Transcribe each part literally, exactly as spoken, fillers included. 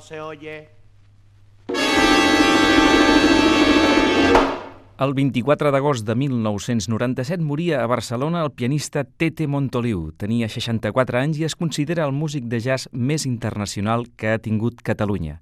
no se oye. El vint-i-quatre d'agost de mil nou-cents noranta-set moria a Barcelona el pianista Tete Montoliu. Tenia seixanta-quatre anys i es considera el músic de jazz més internacional que ha tingut Catalunya.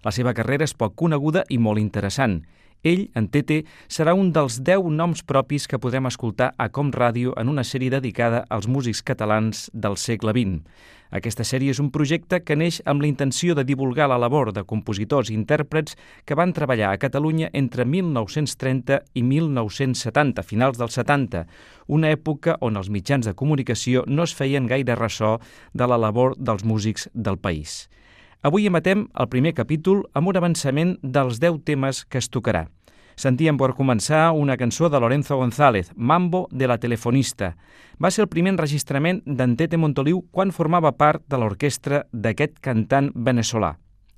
La seva carrera és poc coneguda i molt interessant. Ell, en Tete, serà un dels deu noms propis que podrem escoltar a Com Ràdio en una sèrie dedicada als músics catalans del segle vint. Aquesta sèrie és un projecte que neix amb la intenció de divulgar la labor de compositors i intèrprets que van treballar a Catalunya entre mil nou-cents trenta i mil nou-cents setanta, finals dels setanta, una època on els mitjans de comunicació no es feien gaire ressò de la labor dels músics del país. Avui emetem el primer capítol amb un avançament dels deu temes que es tocarà. Sentíem per començar una cançó de Lorenzo González, Mambo de la telefonista. Va ser el primer enregistrament d'en Tete Montoliu quan formava part de l'orquestra d'aquest cantant veneçolà.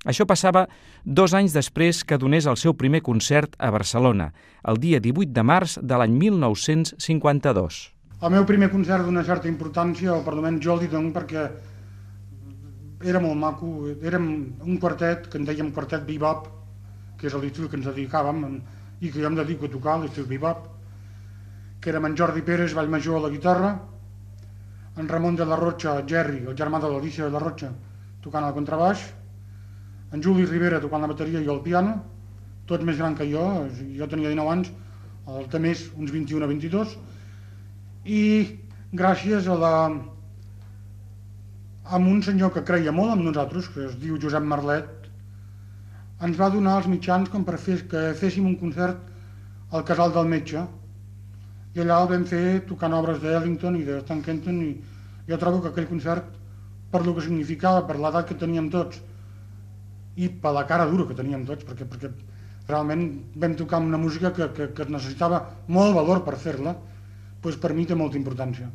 Això passava dos anys després que donés el seu primer concert a Barcelona, el dia divuit de març de l'any mil nou-cents cinquanta-dos. El meu primer concert d'una certa importància, o per almenys jo li dono perquè era molt maco, érem un quartet que en dèiem quartet bebop, que és l'estil que ens dedicàvem i que jo em dedico a tocar, l'estil bebop, que érem en Jordi Pérez, Vallmajor a la guitarra, en Ramon de la Rocha, Gerri, el germà de l'Alicia de la Rocha, tocant el contrabaix, en Juli Rivera tocant la bateria i el piano, tots més gran que jo, jo tenia dinou anys, el té més, uns vint-i-un a vint-i-dos, i gràcies a la... amb un senyor que creia molt en nosaltres, que es diu Josep Marlet, ens va donar els mitjans com per fer que féssim un concert al Casal del Metge. I allà el vam fer tocant obres d'Ellington i de Stan Kenton, i jo trobo que aquell concert, per lo que significava, per l'edat que teníem tots, i per la cara dura que teníem tots, perquè, perquè realment vam tocar una música que, que, que necessitava molt valor per fer-la, doncs per mi té molta importància.